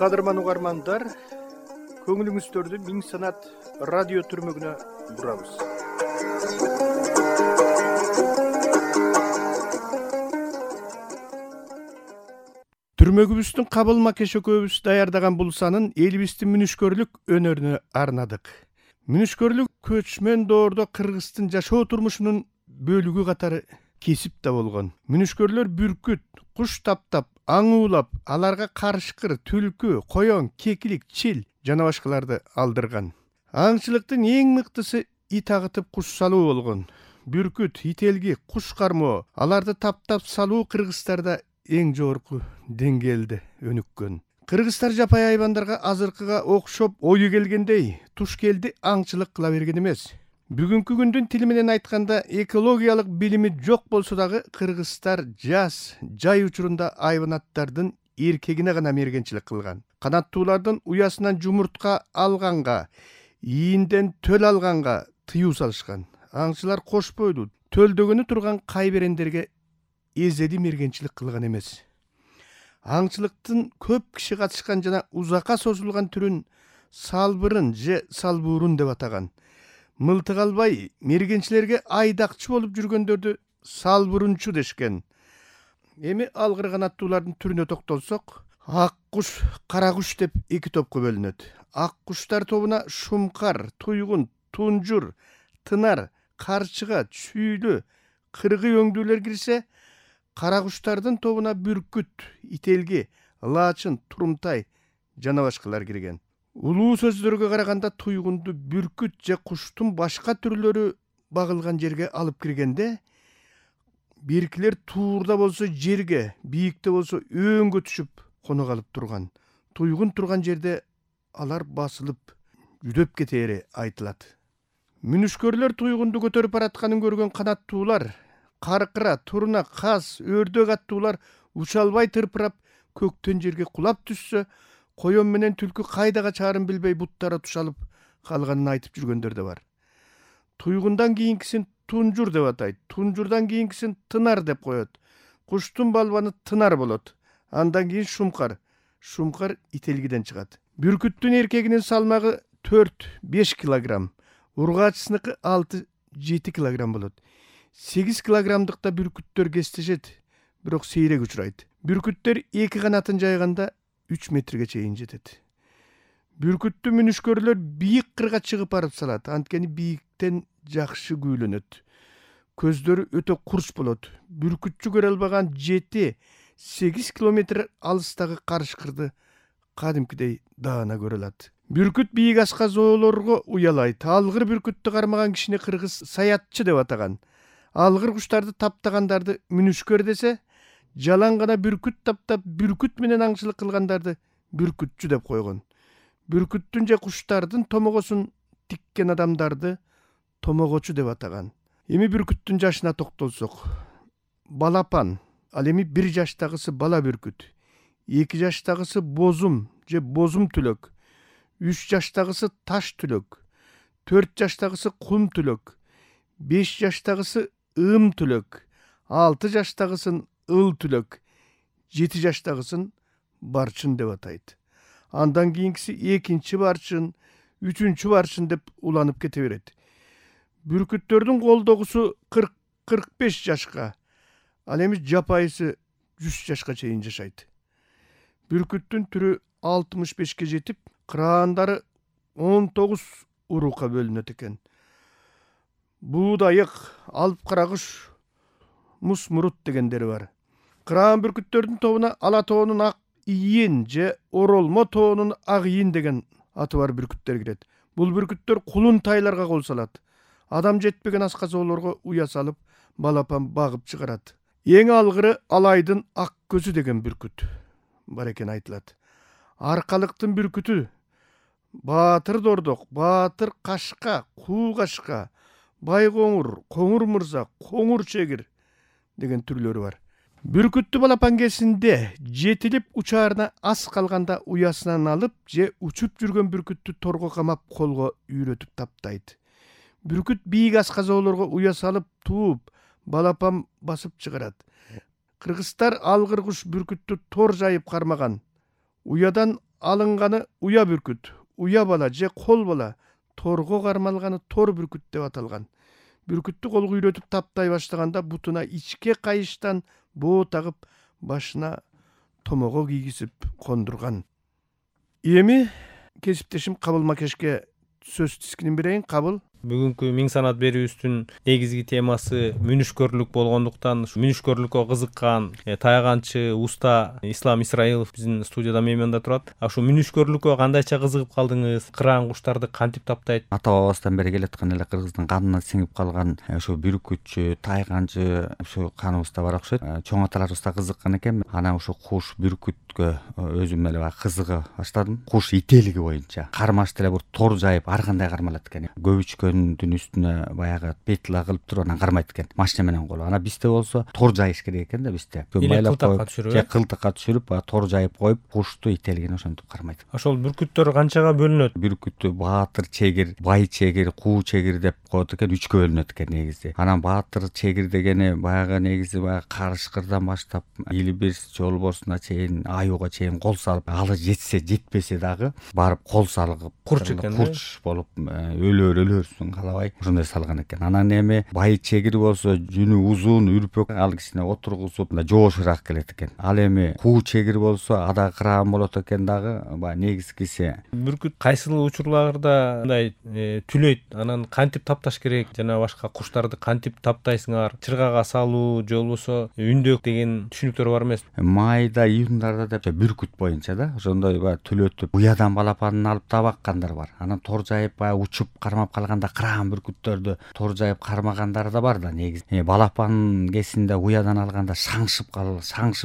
Кадырман угармандар, көңүлүңүздөрдү Миң Санат радио түрмөгүнө бурабыз. Түрмөгүбүздүн кабыл макеш экөөбүз даярдаган бул санын элибиздин мүнүшкөрлүк өнөрүнө арнадык. Мүнүшкөрлүк көчмөн доордо кыргыздын жашоо турмушунун бөлүгү катары кесип да болгон. Мүнүшкөрлөр бүркүт, куш таптап, аң уулап, аларга карышкыр, түлкү, коён, кекилик, чил жана башкаларды алдырган. Аңчылыктын эң мыктысы ит агытып куш салуу болгон. Бүркүт, ителги, куш кармоо, аларды таптап салуу кыргыздарда эң жогорку деңгээлде өнүккөн. Кыргыздар жапай айбандарга азыркыга окшоп ою келгендей туш келди аңчылык кыла берген эмес. Бүгүнкү күндүн тили менен айтканда экологиялык билими жок болсо дагы кыргыздар жаз, жай учурунда айбанаттардын эркегине гана мергенчилик кылган. Канаттуулардын уясынан жумуртка алганга, ийинден төл алганга тыюу салышкан. Аңчылар кош бойлуу, төлдөгөнү турган кайберендерге эзеди мергенчилик кылган эмес. Аңчылыктын көп киши катышкан жана узакка созулган түрүн салбырын же салбуурун деп атаган. Мылтык албай мергенчилерге айдакчы болуп жүргөндөрдү салбурунчу дешкен. Эми алгыр канаттуулардын түрүнө токтолсок, ак куш, кара куш деп эки топко бөлүнөт. Ак куштар тобуна шумкар, туйгун, тунжур, тынар, карчыга, чүйлү, кыргый өңдүүлөр кирсе, кара куштардын тобуна бүркүт, ителги, лаачын, турумтай жана башкалар кирген. Улуу сөздөргө караганда туйгунду бүркүт же куштун башка түрлөрү багылган жерге алып киргенде, биркилер туурда болсо жерге, бийикте болсо өңгө түшүп коно калып турган. Туйгун турган жерде алар басылып жүдөп кетери айтылат. Мүнүшкөрлөр туйгунду көтөрүп баратканын көргөн канаттуулар, каркыра, туруна, каз, өрдөк аттуулар уча албай тырпырап көктөн жерге кулап түшсө, коён менен түлкү кайда качаарын билбей буттары тушалып калганын айтып жүргөндөр да бар. Туйгундан кийинкисин тунжур деп атайт, тунжурдан кийинкисин тынар деп коет. Куштун балбаны тынар болот. Андан кийин шумкар. Шумкар ителгиден чыгат. Бүркүттүн эркегинин салмагы 4-5 килограмм, ургаачысыныкы 6-7 килограмм болот. 8 килограммдыкта бүркүттөр кестешет, бирок сейрек учурайт. Бүркүттөр эки канатын жайганда 3 метрге чейин жетет. Бүркүттү мүнүшкөрлөр бийик кырга чыгып барып салат, анткени бийиктен жакшы күүлөнөт. Көздөрү өтө курч болот. Бүркүтчү көрө албаган 7-8 километр алыстагы карышкырды кадимкидей даана көрө алат. Бүркүт бийик асказоолорго уялайт. Алгыр бүркүттү кармаган кишини кыргыз саятчы деп атаган. Алгыр куштарды таптагандарды мүнүшкөр десе, жалаң гана бүркүт таптап, бүркүт менен аңчылык кылгандарды бүркүтчү деп койгон. Бүркүттүн же куштардын томогосун тиккен адамдарды томогочу деп атаган. Эми бүркүттүн жашына токтолсок, балапан, ал эми 1 жаштагысы бала бүркүт, 2 жаштагысы бозум же бозум түлөк, 3 жаштагысы таш түлөк, 4 жаштагысы кум түлөк, 5 жаштагысы ым түлөк, 6 жаштагысын ыл түлөк, 7 жаштагысын барчын деп атайт. Андан кийинкиси 2-нчи барчын, 3-нчү барчын деп уланып кете берет. Бүркүттөрдүн колдогусу 40-45 жашка, ал эми жапайысы 100 жашка чейин жашайт. Бүркүттүн түрү 65ке жетип, кыраандары 19 урукка бөлүнөт экен. Буудайык, алып каракуш, мусмурут дегендери бар. Кыраан бүркүттөрдүн тобуна ала тоонун ак ийин же оролмо тоонун ак ийин деген аты бар бүркүттөр кирет. Бул бүркүттөр кулун тайларга кол салат. Адам жетпеген асказоолорго уя салып, балапан багып чыгарат. Эң алгыры алайдын ак көзү деген бүркүт бар экен айтылат. Аркалыктын бүркүтү, баатыр дордок, баатыр кашка, куу кашка, байкоңур, коңур мырза, коңур чегир деген түрлөрү бар. Бүркүттү балапан кезинде жетилип учаарына аз калганда уясынан алып же учуп жүргөн бүркүттү торго камап колго үйрөтүп таптайт. Бүркүт бийик асказоолорго уя салып тууп, балапан басып чыгарат. Кыргыздар алгыр куш бүркүттү тор жайып кармаган. Уядан алынганы уя бүркүт, уя бала же кол бала, торго кармалганы тор бүркүт деп аталган. Бүркүттү колго үйрөтүп таптай баштаганда бутуна ичке кайыштан боо тагып, башына томого кийгизип кондурган. Эми кесиптешим Кабыл Макешке сөз тискинин берейин. Кабыл. Бүгүнкү миң санат берүүбүздүн негизги темасы мүнүшкөрлүк болгондуктан мүнүшкөрлүккө кызыккан тайганчы уста Ислам Исраилов биздин студияда мейманда турат. Ошо мүнүшкөрлүккө кандайча кызыгып калдыңыз? Кыраан куштарды кантип таптайт? Ата бабабыздан бери келаткан эле кыргыздын канына сиңип калган ошо бүркүтчү, тайганчы ошо каныбызда бар окшойт. Чоң аталарыбыз да кызыккан экен. Анан ошо куш, бүркүткө өзүм эле кызыга баштадым. Куш ителиги боюнча кармаш деле бир тор жайып ар кандай кармалат экен. Көбүчкөндүн үстүнө баягы петля кылып туруп анан кармайт экен. Машина менен коло. Анан бизде болсо тор жайыш керек экен да бизде. Кылтакка түшүрүп, кылтакка түшүрүп, тор жайып коюп, кушту, ителигин ошентип кармайт. Ошол бүркүттөр канчага бөлүнөт? Бүркүттү баатыр чегир, бай чегир, куу чегир деп коет экен, 3кө бөлүнөт экен негизи. Анан баатыр чегир дегени баягы негизи баягы карышкырдан баштап илбирс, жолборсуна чейин, аюуга чейин кол салып, алы жетсе жетпесе дагы барып кол салып, курч экен, курч болуп өлөрсүн калабай ошондой салган экен. Анан эми бай чегир болсо жүнү узун, үрпөк, ал кичине отургузуп жоошураак келет экен. Ал эми куу чегир болсо ада кыраан болот экен дагы, баягы негизгиси. Бүркүт кайсыл учурларда мындай түлөйт? Анан кантип тапташ керек? Жана башка куштарды кантип таптайсыңар? Чыргага салуу же болбосо үндөк деген түшүнүктөр бар эмес? Майда, июндарда деп бүркүт боюнча да ошондой баягы түлөтүп, уядан балапанын алып табаккандар бар. Анан тор жайып баягы учуп кармап калганда кыраан бүркүттөрдү тор жайып кармагандар да бар да негизи. Балапан кесинде уядан алганда шаңшып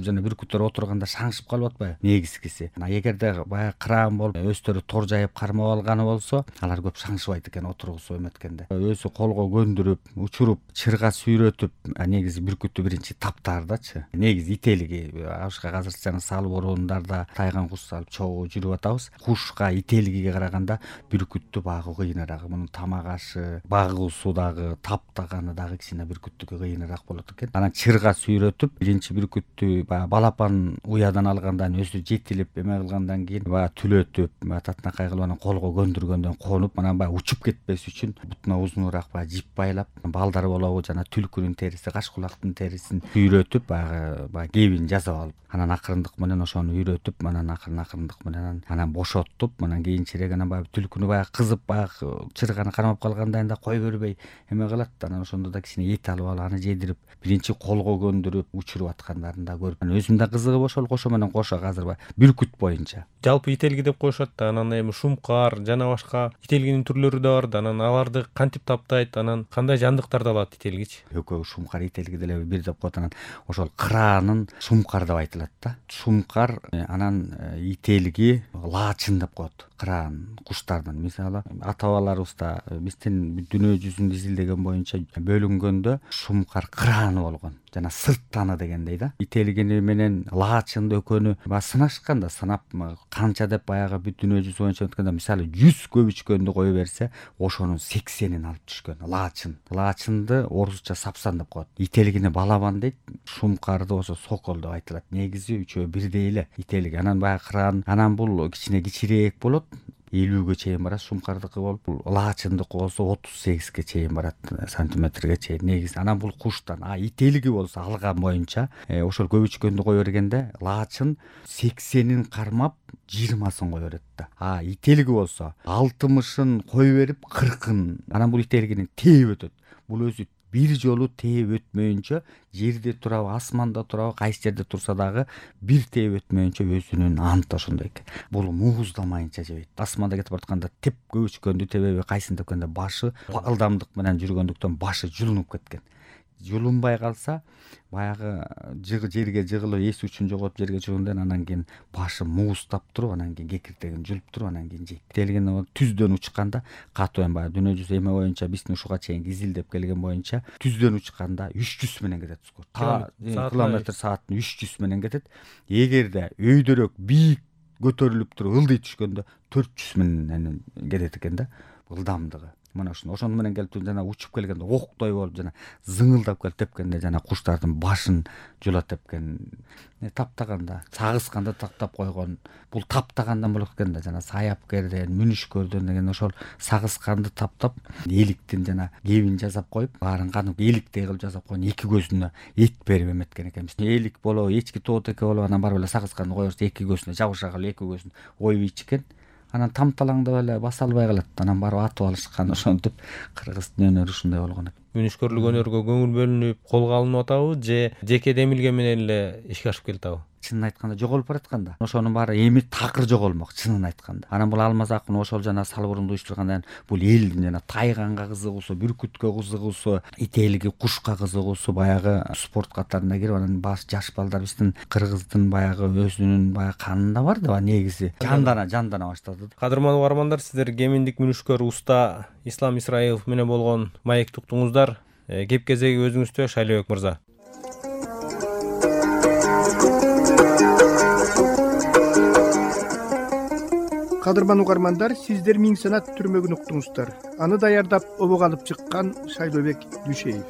жана бүркүттөр отурганда шаңшып калып атпайбы негизгиси. Эгерде баягы кыраан болуп өздөрү тор жайып кармап алганы болсо, алар көп шаңшыбайт экен отургузуп эметкенде. Өзү колго көндүрүп, учуруп, чырга сүйрөтүп, негизи бүркүттү биринчи таптардачы. Негизи ителиги ашка азырча сал борундарда тайган куш салып чогуу жүрүп атабыз. Кушка, ителигиге караганда бүркүттү багуу кыйыныраак. Мунун тамак ашы, багуусу дагы, таптаганы дагы кичине бүркүттүкү кыйыныраак болот экен. Анан чырга сүйрөтүп, биринчи бүркүттү баягы балапан уядан алгандан өзү жетилип эме кылгандан кийин баягы түлөтүп, татынакай кылып анан колго көндүргөндөн конуп, анан баягы учуп кетпес үчүн бутуна узунураак баягы жип байлап, балдар болобу жана түлкүнүн териси, кашкулактын терисин сүйрөтүп, баягы кебин жасап алып, анан акырындык менен ошону үйрөтүп, анан акырындык менен анан бошоттуп, анан кийинчерээк анан баягы түлкүнү баягы кызып, баягы чырганы кармап калгандан да кой бербей эме кылат. Анан ошондо да кичине эт алып алып, аны жедирип, биринчи колго көндүрүп, учуруп аткандарын да көрүп, өзүм да кызыгып ошол кошо менен кошо азыр баягы бүркүт боюнча. Жалпы ителги деп коюшат да, анан эми шумкар жана башка ителгинин түрлөрү да бар да. Анан аларды кантип таптайт? Анан кандай жандыктарды алат ителгичи? Экөө шумкар, ителги деле бир деп коет. Анан ошол кыраанын шумкар деп айтылат да. Шумкар, анан ителги лаачын деп коет. Кыраан куштардын мисалы ата бабаларыбыз да биздин дүйнө жүзүн изилдеген боюнча бөлүнгөндө шумкар кырааны болгон жана сырттаны дегендей да. Ителгини менен лаачынды экөөнү баягы сынашкан да, сынап канча деп баягы бүт дүйнө жүзү боюнча өткөндө мисалы 100 көбүчкөндү кое берсе, ошонун 80-ин алып түшкөн лаачынды орусча сапсан деп коет. Ителгини балабан дейт, шумкарды болсо сокол деп айтылат. Негизи үчөө бирдей эле ителги. Анан баягы кыраан, анан бул кичине кичирээк болот, 50ге чейин барат. Шумкардыкы болуп, лаачындыкы болсо 38ге чейин барат, сантиметрге чейин негизи. Анан бул куштан, ителги болсо алган боюнча ошол көбүчкөндү кое бергенде лаачын 80-ин кармап 20-сын кое берет да. Ителги болсо 60-ын кое берип 40-ын. Анан бул ителгинин тээп өтөт. Бул өзү бир жолу тээп өтмөйүнчө, жерде турабы, асманда турабы, кайсы жерде турса дагы бир тээп өтмөйүнчө өзүнүн анты ошондой экен. Бул мууздамайынча жебейт. Асманда кетип баратканда теп көбүчкөндү тебеби, кайсын тепкенде башы ылдамдык менен жүргөндүктөн башы жулунуп кеткен. Жулунбай калса, баягы жерге жыгылып, эс үчүн жоготуп жерге чыгындан анан кийин башы мууздап туруп, анан кийин кекиртегин жулуп туруп, анан кийин жейт. Ителгини түздөн учканда, катуу эми баягы дүйнө жүзү эме боюнча биздин ушуга чейин изилдеп келген боюнча түздөн учканда 300 менен кетет. Километр сааттын 300 менен кетет. Эгерде өйдөрөөк бийик көтөрүлүп туруп ылдый түшкөндө 400 менен кетет экен да. Ылдамдыгы. мына ошону менен келип жана учуп келгенде октой болуп жана зыңылдап келип тепкенде жана куштардын башын жула тепкен, таптаганда сагысканды таптап койгон, бул таптагандан болот экен да, жана саяпкерден, мүнүшкөрдөн деген ошол сагысканды таптап эликтин жана кебин жасап коюп, баарын кадимки эликтей кылып жасап койгон, эки көзүнө эт берип эметкен экенбиз. Элик болобу, эчки тоотеке болобу, анан барып эле сагысканды коебуз, эки көзүнө жабыша кылып эки көзүн оюп ичкен. Анан тамталаңдап эле баса албай калат. Анан барып атып алышкан. Ошентип кыргыздын өнөрү ушундай болгон экен. Мүнүшкөрлүк өнөргө көңүл бөлүнүп, колго алынып атабы же жеке демилге менен эле ишке ашып келатабы? Чынын айтканда жоголуп бараткан да. Ошонун баары эми такыр жоголмок, чынын айтканда. Анан бул Алмаз акын ошол жана Салбурунду уюштургандан бул элдин жана тайганга кызыгуусу, бүркүткө кызыгуусу, ителиги кушка кызыгуусу баягы спорт катарына кирип, анан баш жаш балдар биздин кыргыздын баягы өзүнүн баягы канында бар да негизи. Жандана баштады. Кадырман угармандар, сиздер кеминдик мүнүшкөр уста Ислам Исраилов менен болгон маекти уктуңуздар. Кеп кезеги өзүңүздө, Шайлообек мырза. Кадырман угармандар, сиздер Миң санат түрмөгүн уктуңуздар. Аны даярдап обого алып чыккан Шайлообек Дүйшеев.